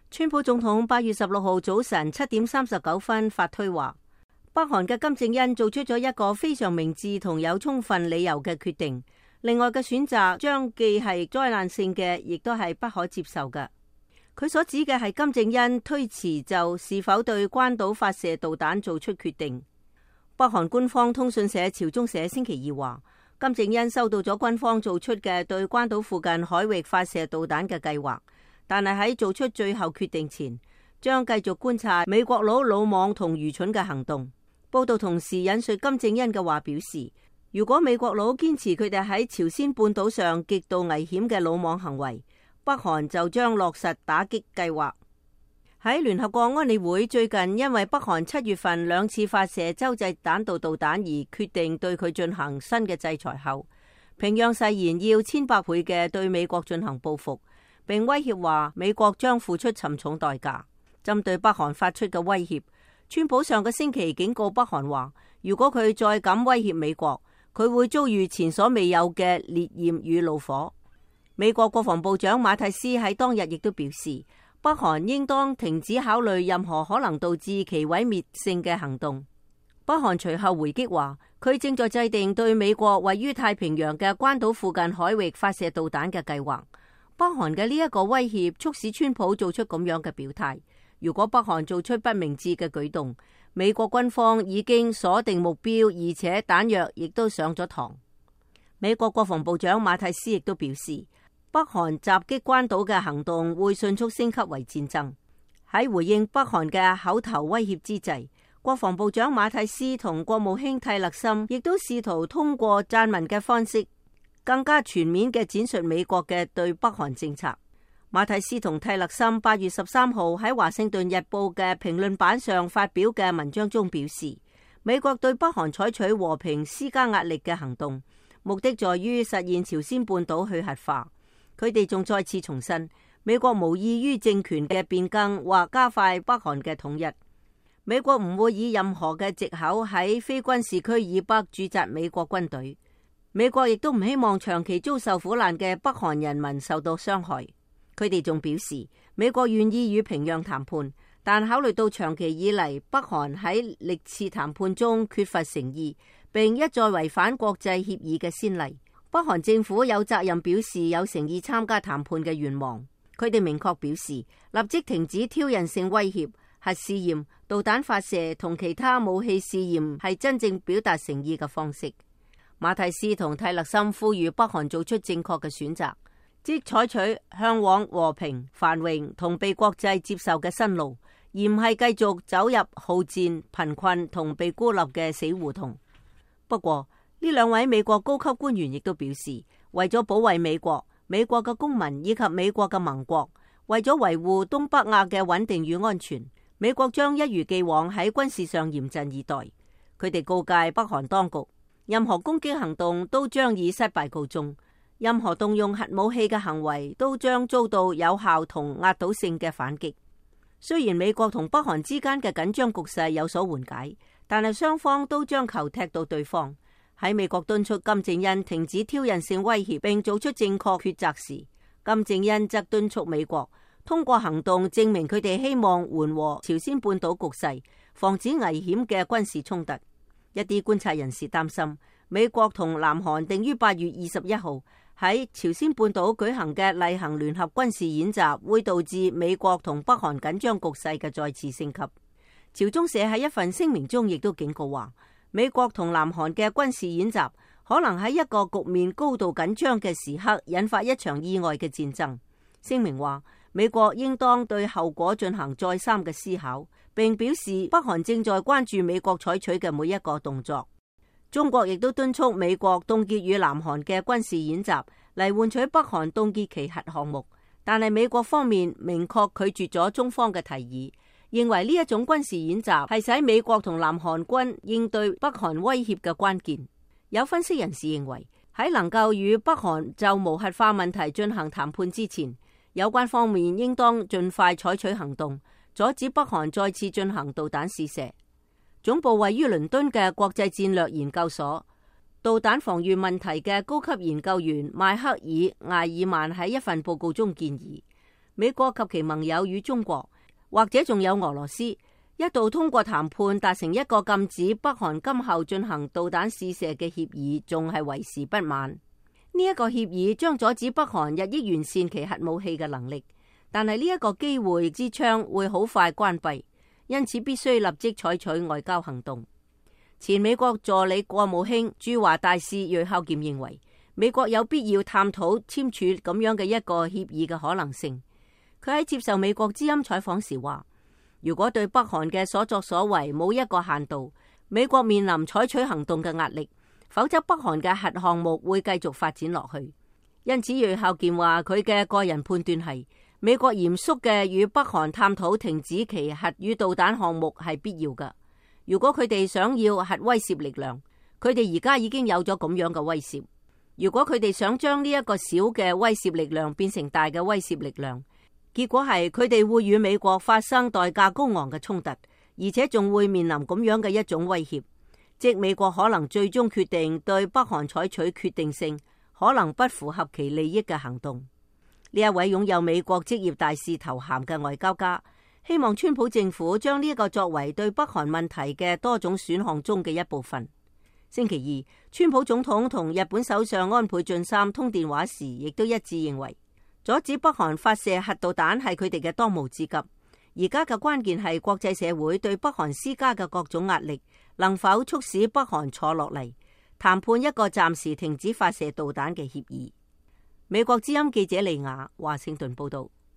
川普總統8月16號早晨7點39分發推話，北韓嘅金正恩做出咗一個非常明智同有充分理由嘅決定。另外嘅選擇將既係災難性嘅，亦都係不可接受嘅。佢所指嘅係金正恩推遲就是否對關島發射導彈做出決定。北韓官方通訊社朝中社星期二話，金正恩收到咗軍方做出嘅對關島附近海域發射導彈嘅計劃。但係喺做出最後決定前，將繼續觀察美國佬魯莽同愚蠢嘅行動。報道同時引述金正恩嘅話表示，如果美國佬堅持佢哋喺朝鮮半島上極度危險嘅魯莽行為，北韓就將落實打擊計劃。喺聯合國安理會最近因為北韓7月份2次發射洲際彈道導彈而決定對佢進行新嘅制裁後，平壤誓言要1,000倍嘅對美國進行報復，並威脅話美國將付出沉重代價。針對北韓發出嘅威脅，川普上個星期警告北韓話，如果佢再敢威脅美國，佢會遭遇前所未有嘅烈焰與怒火。美國國防部長馬蒂斯喺當日亦都表示，北韓應當停止考慮任何可能導致其毀滅性嘅行動。北韓隨後回擊話，佢正在制定對美國位於太平洋嘅關島附近海域發射導彈嘅計劃。北韓嘅呢一個威脅促使川普做出咁樣嘅表態。如果北韓做出不明智嘅舉動，美國軍方已經鎖定目標，而且彈藥亦都上咗膛。美國國防部長馬蒂斯亦都表示，北韓襲擊關島嘅行動會迅速升級為戰爭。喺回應北韓嘅口頭威脅之際，國防部長馬蒂斯同國務卿蒂勒森亦都試圖通過撰文嘅方式，更加全面嘅展述美國嘅對北韓政策。馬蒂斯同蒂勒森8月13號喺華盛頓日報嘅評論版上發表嘅文章中表示，美國對北韓採取和平施加壓力嘅行動，目的在於實現朝鮮半島去核化。佢哋仲再次重申，美國無異於政權嘅變更或加快北韓嘅統一。美國唔會以任何嘅藉口喺非軍事區以北駐紮美國軍隊。美國亦都唔希望長期遭受苦難嘅北韓人民受到傷害。佢哋仲表示，美國願意與平壤談判，但考慮到長期以嚟北韓喺歷次談判中缺乏誠意，並一再違反國際協議嘅先例，北韓政府有責任表示有誠意參加談判嘅願望。佢哋明確表示，立即停止挑釁性威脅、核試驗、導彈發射同其他武器試驗係真正表達誠意嘅方式。馬蒂斯同蒂勒森呼籲北韓做出正確嘅選擇，即採取向往和平、繁榮同被國際接受嘅新路，而唔係繼續走入好戰、貧困同被孤立嘅死胡同。不過，呢兩位美國高級官員亦都表示，為咗保衛美國、美國嘅公民以及美國嘅盟國，為咗維護東北亞嘅穩定與安全，美國將一如既往喺軍事上嚴陣以待。佢哋告誡北韓當局，任何攻擊行動都將以失敗告終。任何動用核武器嘅行為都將遭到有效同壓倒性嘅反擊。雖然美國同北韓之間嘅緊張局勢有所緩解，但係雙方都將球踢到對方。喺美國敦促金正恩停止挑釁性威脅並做出正確抉擇時，金正恩則敦促美國通過行動證明佢哋希望緩和朝鮮半島局勢，防止危險嘅軍事衝突。一啲觀察人士擔心，美國同南韓定於8月21號喺朝鮮半島舉行嘅例行聯合軍事演習，會導致美國同北韓緊張局勢嘅再次升級。朝中社喺一份聲明中亦都警告話，美國同南韓嘅軍事演習可能喺一個局面高度緊張嘅時刻引發一場意外嘅戰爭。聲明話，美國應當對後果進行再三嘅思考，並表示北韓正在關注美國採取嘅每一個動作。中國亦都敦促美國凍結與南韓嘅軍事演習，嚟換取北韓凍結其核項目。但係美國方面明確拒絕咗中方嘅提議，認為呢一種軍事演習係使美國同南韓軍應對北韓威脅嘅關鍵。有分析人士認為，喺能夠與北韓就無核化問題進行談判之前，有關方面應當盡快採取行動，阻止北韓再次進行導彈試射。總部位於倫敦嘅國際戰略研究所導彈防禦問題嘅高級研究員邁克爾·艾爾曼喺一份報告中建議，美國及其盟友與中國，或者仲有俄羅斯，一度通過談判達成一個禁止北韓今後進行導彈試射嘅協議，仲係為時不晚。呢一個協議將阻止北韓日益完善其核武器嘅能力，但係呢一個機會之窗會好快關閉，因此必須立即採取外交行動。前美國助理國務卿駐華大使芮孝儉認為，美國有必要探討簽署咁樣嘅一個協議嘅可能性。佢喺接受美國之音採訪時話，如果對北韓嘅所作所為冇一個限度，美國面臨採取行動嘅壓力，否則北韓嘅核項目會繼續發展落去。因此，芮孝儉話佢嘅個人判斷係，美國嚴肅嘅與北韓探討停止其核與導彈項目係必要嘅。如果佢哋想要核威懾力量，佢哋而家已經有咗咁樣嘅威懾。如果佢哋想將呢一個小嘅威懾力量變成大嘅威懾力量，結果係佢哋會與美國發生代價高昂嘅衝突，而且仲會面臨咁樣嘅一種威脅，即美國可能最終決定對北韓採取決定性、可能不符合其利益嘅行動。呢一位擁有美國職業大使頭銜嘅外交家，希望川普政府將呢一個作為對北韓問題嘅多種選項中嘅一部分。星期二，川普總統同日本首相安倍晉三通電話時，亦都一致認為，阻止北韓發射核導彈係佢哋嘅當務之急。而家嘅關鍵係國際社會對北韓施加嘅各種壓力，能否促使北韓坐落嚟談判一個暫時停止發射導彈嘅協議。美國之音記者利亞華盛頓報道。